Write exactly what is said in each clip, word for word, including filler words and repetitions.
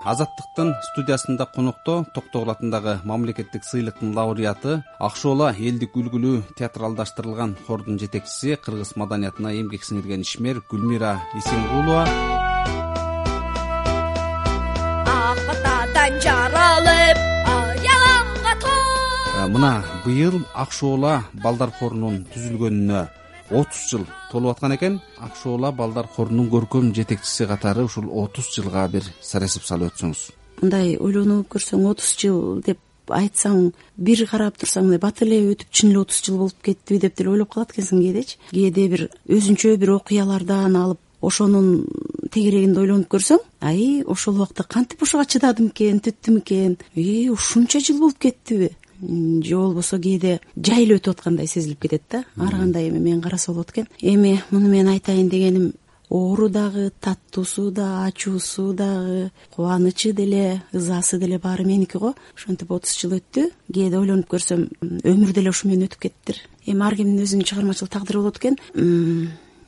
Азаттыктын студиясында конокто Токтогул атындагы мамлекеттик сыйлыктын лауреаты, Акшоола элдик үлгүлүү театралдаштырылган хордун жетекчиси, кыргыз маданиятына эмгек сиңирген ишмер Гүлмира Исенгулова. Акытадан жаралып, аялаңга тоо. Мына быйыл Акшоола балдар хорунун түзүлгөнүнө отуз жыл толуп аткан экен. Акшоола балдар хорунун көркөм жетекчиси катары ушул отуз жылга бир сарасып салып өтсөңүз. Мындай ойлонуп көрсөң отуз жыл деп айтсаң, бир карап турсаң мындай бат эле өтүп чын эле отуз жыл болуп кеттиби деп деле ойлоп калат экенсиң кээдечи. Кээде бир өзүнчө бир окуялардан алып ошонун тегерегинде ойлонуп көрсөң, ай ошол убакта кантип ошого чыдадым экен, түттүм экен, и ушунча жыл болуп кеттиби, же болбосо кээде жай эле өтүп аткандай сезилип кетет да. Ар кандай эми мен караса болот экен. Эми муну мен айтайын дегеним, оору дагы, таттуусу да, ачуусу дагы, кубанычы деле, ызасы деле баары меники го. Ошентип отуз жыл өттү. Кээде ойлонуп көрсөм, өмүр деле ушу менен өтүп кеттир. Эми ар кимдин өзүнүн чыгармачыл тагдыры болот экен.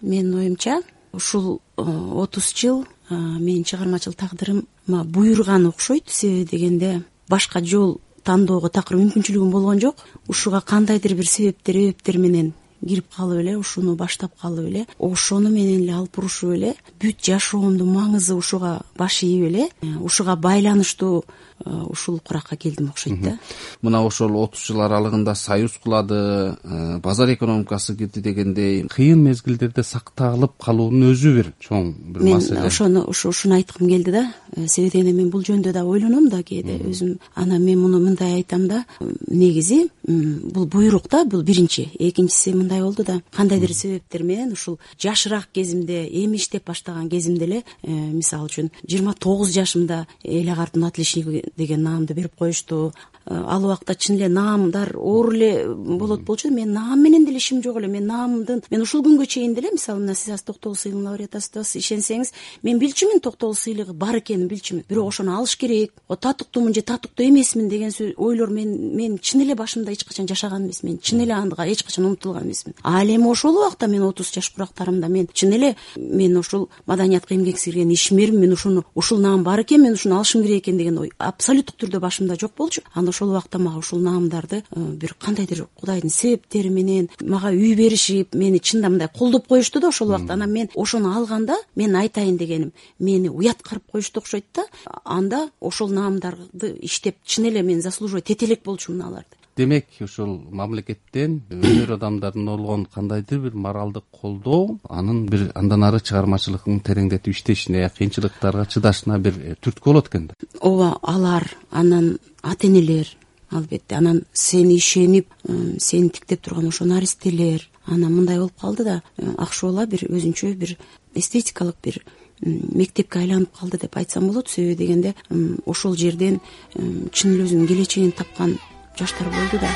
Менин оюмча ушул отуз жыл менин чыгармачыл тагдырыма буйруган окшойт. Себеби дегенде башка жол тандоого такыр мүмкүнчүлүгүм болгон жок. Ушуга кандайдыр бир себептер эбептер менен кирип калып эле, ушуну баштап калып эле, ошону менен эле алып урушуп эле, бүт жашоомдун маңызы ушуга баш ийип эле, ушуга байланыштуу ушул куракка келдим окшойт да. Мына ошол отуз жыл аралыгында союз кулады, базар экономикасы кирди дегендей кыйын мезгилдерде сакталып калуунун өзү бир чоң бир маселе. Мен ошону ушуну айткым келди да. Себеби дегенде мен бул жөнүндө да ойлоном да кээде өзүм. Анан мен муну мындай айтам да, негизи бул буйрук да, бул биринчи. Экинчиси мындай болду да, кандайдыр себептер менен ушул жашыраак кезимде, эми иштеп баштаган кезимде эле, мисалы үчүн жыйырма тогуз жашымда эл агартын отличниги деген наамды берип коюшту. Ал убакта чын эле наамдар оор эле болот болчу. Мен наам менен деле ишим жок эле. Мен наамдын, мен ушул күнгө чейин деле, мисалы мына сиз азыр Токтогул сыйлыгынын лауреатысыз, ишенсеңиз, мен билчүмүн Токтогул сыйлыгы бар экенин билчүмүн. Бирок ошону алыш керек. О татыктуумун же татыктуу эмесмин деген ойлор мен мен чын эле башымда эч качан жашаган эмесмин. Мен чын эле ага эч качан умтулган эмесмин. Ал эми ошол убакта мен отуз жаш курактарымда мен чын эле мен ушул маданиятка эмгек сиңирген ишмермин. Мен ушуну ушул наам бар экен, мен ушуну алышым керек экен деген ой абсолюттук түрдө башымда жок болчу. Анда ошол убакта мага ушул наамдарды бир кандайдыр Кудайдын себептери менен мага үй беришип, мени чында мындай колдоп коюшту да ошол убакта. Анан мен ошону алганда, мен айтайын дегеним, мени уяткарып коюшту окшойт да. Анда ошол наамдарды иштеп чын эле мен заслуживать эте элек болчумун аларды. Демек, ушул мамлекеттен өнөр адамдарына болгон кандайдыр бир моралдык колдоо, анын бир андан ары чыгармачылыгын тереңдетип иштешине, кыйынчылыктарга чыдашына бир түрткү болот экен да. Ооба, алар, анан ата-энелер, албетте, анан сени ишенип, сени тиктеп турган ошо наристелер. Анан мындай болуп калды да, Акшоола бир өзүнчө бир эстетикалык бир мектепке айланып калды деп айтсам болот. Себеби дегенде ошол жерден чын эле өзүнүн келечегин тапкан жаштар болду да.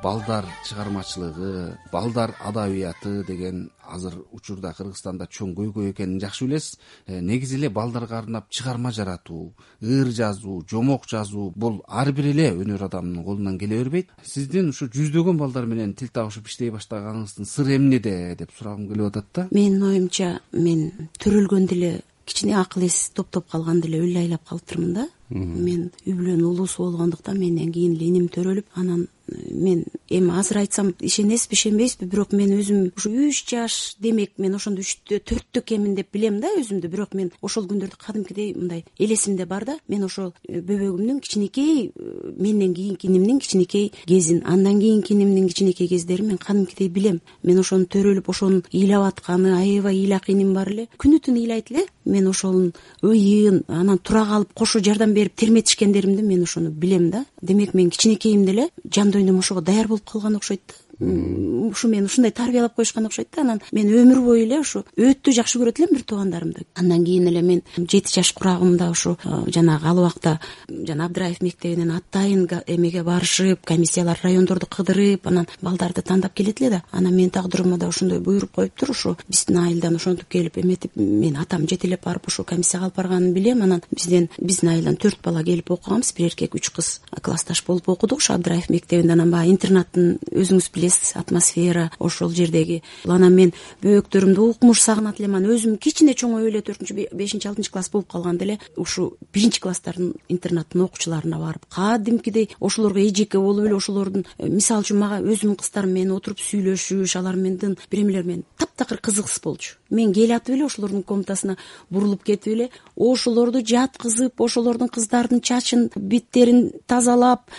Балдар чыгармачылыгы, балдар адабияты деген азыр учурда Кыргызстанда чоң көйгөй экенин жакшы билесиз. Негизи эле балдарга арнап чыгарма жаратуу, ыр жазуу, жомок жазуу бул ар бир эле өнөр адамынын колунан келе бербейт. Сиздин ушу жүздөгөн балдар менен тил табышып иштей баштаганыңыздын сыры эмнеде деп сурагым келип атат да. Менин оюмча, мен төрөлгөндө эле кичине акыл эс топтоп калганда эле өлө айлап калыптырмын да. Мен үй бүлөнүн улуусу болгондуктан менден кийин эле иним төрөлүп, анан мен эми азыр айтсам ишенесизби ишенбейсизби, бирок мен өзүм ушу үч жаш, демек мен ошондо үчтө төрттө экенмин деп билем да өзүмдү. Бирок мен ошол күндөрдү кадимкидей мындай элесимде бар да. Мен ошол бөбөгүмдүн кичинекей, менден кийинки инимдин кичинекей кезин, андан кийинки инимдин кичинекей кездерин мен кадимкидей билем. Мен ошону төрөлүп, ошонун ыйлап атканы, аябай ыйлак иним бар эле. Күнү түнү ыйлайт эле. Мен ошонун ыйын, анан тура калып кошо жардам берип терметишкендеримди мен ошону билем да. Демек мен кичинекейимде эле жан дүйнөм ошого даяр болуп калган окшойт да. Ушу мен ушундай тарбиялап коюшкан окшойт да. Анан мен өмүр бою эле ушу өтө жакшы көрөт элем бир туугандарымды. Андан кийин эле мен жети жаш курагымда ушу жанагы ал убакта жана Абдыраев мектебинен атайын эмеге барышып, комиссиялар райондорду кыдырып, анан балдарды тандап келет эле да. Анан менин тагдырыма да ошондой буйруп коюптур. Ушу биздин айылдан ошентип келип эметип, мен атам жетелеп барып ушу комиссияга алып барганын билем. Анан бизден биздин айылдан төрт бала келип окуганбыз, бир эркек, үч кыз классташ болуп окудук ушу Абдыраев мектебинде. Анан баягы интернаттын өзүңүз билесиз эмес атмосфера ошол жердеги. Анан мен бөөктөрүмдү укмуш сагынат элем. Анан өзүм кичине чоңоюп эле төртүнчү бешинчи алтынчы класс болуп калганда эле ушу биринчи класстардын интернаттын окуучуларына барып кадимкидей ошолорго эжеке болуп эле ошолордун мисалы үчүн мага өзүмдүн кыздарым менен отуруп сүйлөшүш, алар менден биремелер менен таптакыр кызыксыз болчу. Мен келатып эле ошолордун комнатасына бурулуп кетип эле ошолорду жаткызып, ошолордун кыздардын чачын беттерин тазалап,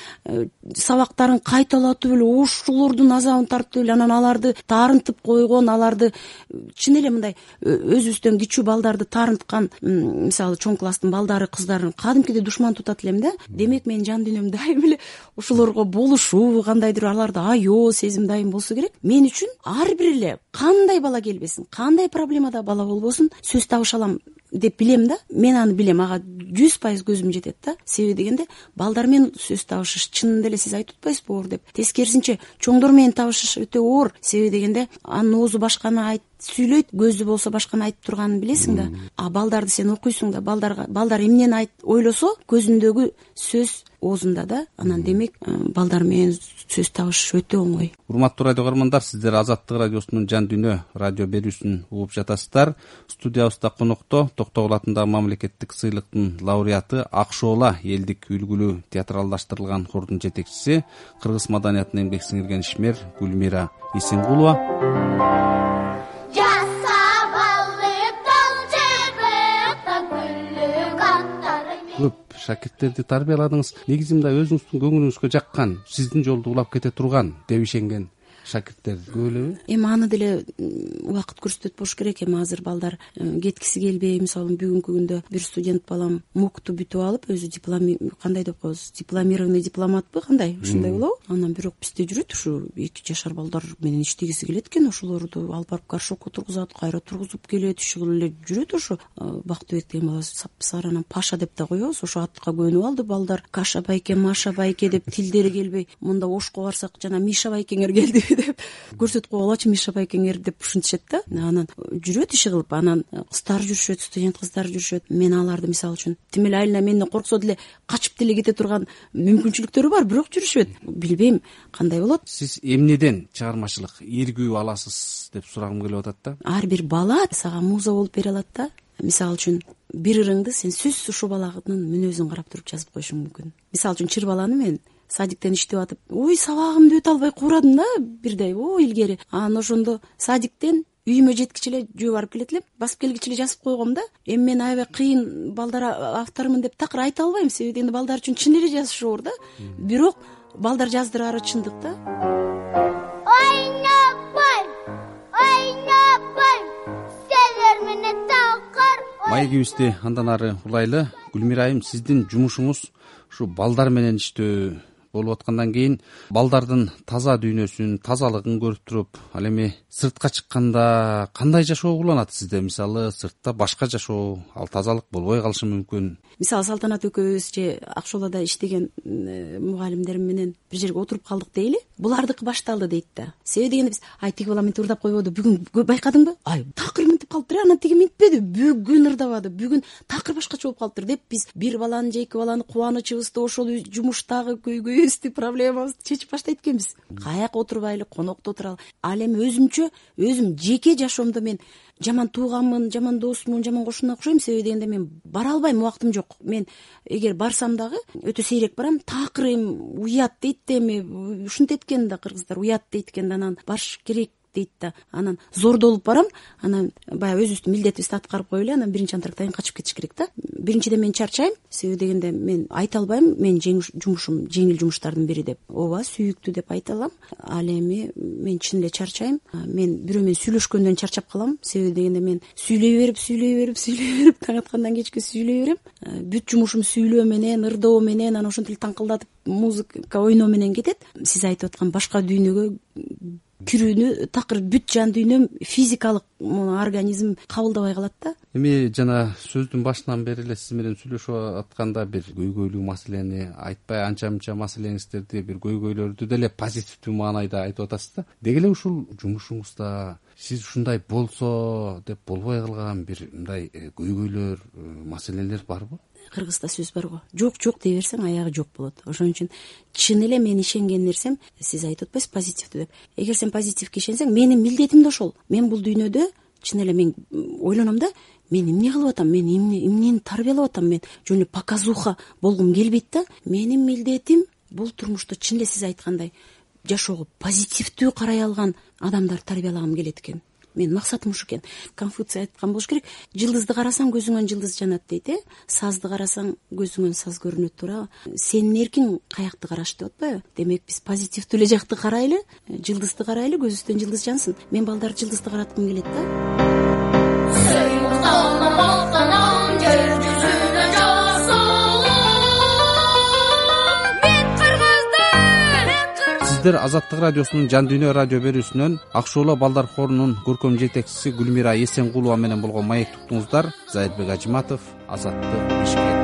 сабактарын кайталатып эле ошолордун азабын тартып эле анан аларды таарынтып койгон, аларды чын эле мындай өзүбүздөн кичүү балдарды таарынткан, мисалы чоң класстын балдары, кыздарын кадимкидей душман тутат элем да. Демек менин жан дүйнөм дайым эле ошолорго болушуу, кандайдыр аларды аё сезим дайым болсо керек. Мен үчүн ар бир эле кандай бала келбесин, кандай проблемада бала болбосун сөз табыша алам деп билем да. Мен аны билем, ага жүз пайыз көзүм жетет да. Себеби дегенде балдар менен сөз табышыш чынында эле сиз айтып атпайсызбы оор деп. Тескерисинче чоңдор менен табышыш өтө оор. Себеби дегенде анын оозу башканы айт сүйлөйт, көзү болсо башканы айтып турганын билесиң да. А балдарды сен окуйсуң да, балдарга балдар эмнени айт ойлосо көзүндөгү сөз оозунда да. Анан демек балдар менен сөз табышыш өтө оңой. Урматтуу радио көрөрмандар, сиздер Азаттык радиосунун Жан дүйнө радио берүүсүн угуп жатасыздар. Студиябызда конокто Токтогул атындагы мамлекеттик сыйлыктын лауреаты, Ак Шоола элдик үлгүлүү театралдаштырылган хордун жетекчиси, кыргыз маданиятына эмгек сиңирген ишмер Гүлмира Исенгулова. Көп шакирттерди тарбияладыңыз. Негизи мындай өзүңүздүн көңүлүңүзгө жаккан, сиздин жолду улап кете турган деп ишенген шакирттер көп элеби? Эми аны деле убакыт көрсөтөт болуш керек. Эми азыр балдар кеткиси келбей, мисалы бүгүнкү күндө бир студент балам мукту бүтүп алып, өзү диплом кандай деп коебуз, дипломированный дипломатпы кандай, ушундай болобу? Анан бирок бизде жүрөт ушу эки жашар балдар менен иштегиси келет экен, ошолорду алып барып горшокко тургузат, кайра тургузуп келет, иши кылып эле жүрөт. Ошо Бактыбек деген бала сапсары, анан Паша деп да коебуз. Ошо атка көнүп алды балдар. Каша байке, Маша байке деп тилдери келбей, мында Ошко барсак жана Миша байкеңер келди деп көрсөтүп койгулачы, Миша байкеңер деп ушинтишет да. Анан жүрөт иши кылып, анан кыздар жүрүшөт, студент кыздар жүрүшөт. Мен аларды мисалы үчүн тим эле айылына менден корксо деле качып деле кете турган мүмкүнчүлүктөрү бар, бирок жүрүшөт. Билбейм кандай болот. Сиз эмнеден чыгармачылык ийгүү аласыз деп сурагым келип атат да. Ар бир бала сага муза болуп бере алат да. Мисалы үчүн бир ырыңды сен сөзсүз ушул баланын мүнөзүн карап туруп жазып коюшуң мүмкүн. Мисалы үчүн чыр баланы мен садиктен иштеп атып, ой сабагымды өтө албай куурадым да бирдей, о илгери. Анан ошондо садиктен үйүмө жеткичи эле жөө барып келет элем, басып келгичи эле жазып койгом да. Эми мен аябай кыйын балдар автормун деп такыр айта албайм, себеби дегенде балдар үчүн чын эле жазыш оор да. Бирок балдар жаздырары чындык да. Ойнопой, ойнопой, сендер менен такыр. Маегибизди андан ары улайлы. Гүлмира айым, сиздин жумушуңуз ушу балдар менен иштөө болуп аткандан кийин балдардын таза дүйнөсүн, тазалыгын көрүп туруп, ал эми сыртка чыкканда кандай жашоо уланат сизде? Мисалы сыртта башка жашоо, ал тазалык болбой калышы мүмкүн. Мисалы Салтанат экөөбүз же Ак Шоолада иштеген мугалимдерим менен бир жерге отуруп калдык дейли. Булардыкы башталды дейт да. Себеби дегенде биз ай тиги бала мынтип ырдап койбоду, бүгүн байкадыңбы? Ай такыр мынтип калыптыр, анан тиги мынтпеди, бүгүн ырдабады, бүгүн такыр башкача болуп калыптыр деп биз бир баланы же эки баланы кубанычыбызды, ошол жумуштагы көйгөйүбүздү, проблемабызды чечип баштайт экенбиз. Каяка отурбайлы, конокто отуралы. Ал эми өзүмчө, өзүм жеке жашоомдо мен жаман тууганмын, жаман досмун, жаман кошуна окшойм. Себеби дегенде мен бара албайм, убактым жок. Мен эгер барсам дагы өтө сейрек барам. Такыр эми уят дейт да, эми ушинтет экен да кыргыздар, уят дейт экен да, анан барыш керек дейт да. Анан зордолуп барам, анан баягы өзүбүздүн милдетибизди аткарып коюп эле, анан биринчи антрактан качып кетиш керек да. Биринчиден мен чарчайм, себеби дегенде мен айта албайм, мен жумушум жеңил жумуштардын бири деп. Ооба, сүйүктүү деп айта алам. Ал эми мен чын эле чарчайм. Мен бирөө менен сүйлөшкөндөн чарчап калам, себеби дегенде мен сүйлөй берип, сүйлөй берип, сүйлөй берип таң аткандан кечке сүйлөй берем. Бүт жумушум сүйлөө менен, ырдоо менен, анан ошентип таңкылдатып музыка ойноо менен кетет. Сиз айтып аткан башка дүйнөгө кирүүнү такыр бүт жан дүйнөм, физикалык организм кабылдабай калат да. Эми жана сөздүн башынан бери эле сиз менен сүйлөшүп атканда бир көйгөйлүү маселени айтпай, анча-мынча маселеңиздерди, бир көйгөйлөрдү деле позитивдүү маанайда айтып атасыз да. Деги эле ушул жумушуңузда сиз ушундай болсо деп болбой калган бир мындай көйгөйлөр, маселелер барбы? кыргызда сөз бар го, жок жок дей берсең аягы жок болот. Ошон үчүн чын эле мен ишенген нерсем, сиз айтып атпайсыз позитивдүү деп. Эгер сен позитивге ишенсең, менин милдетим да ошол. Мен бул дүйнөдө чын эле мен ойлоном да, мен эмне кылып атам, мен эмне эмнени тарбиялап атам, мен жөн эле показуха болгум келбейт да. Менин милдетим бул турмушта чын эле сиз айткандай жашоого позитивдүү карай алган адамдар тарбиялагым келет экен. Менин максатым ушу экен. Конфуций айткан болуш керек, жылдызды карасаң көзүңөн жылдыз жанат дейт, э? Сазды карасаң көзүңөн саз көрүнөт, туурабы? Сенин эркиң каякты караш деп атпайбы? Демек биз позитивдүү эле жакты карайлы, жылдызды карайлы, көзүбүздөн жылдыз жансын. Мен балдарды жылдызды караткым келет да. Сиздер Азаттык радиосунун Жан дүйнө радио берүүсүнөн Ак Шууло балдар хорунун көркөм жетекчиси Гүлмира Эсенгулова менен болгон маектик уктуңуздар. Зайырбек Ажиматов, Азаттык, Бишкек.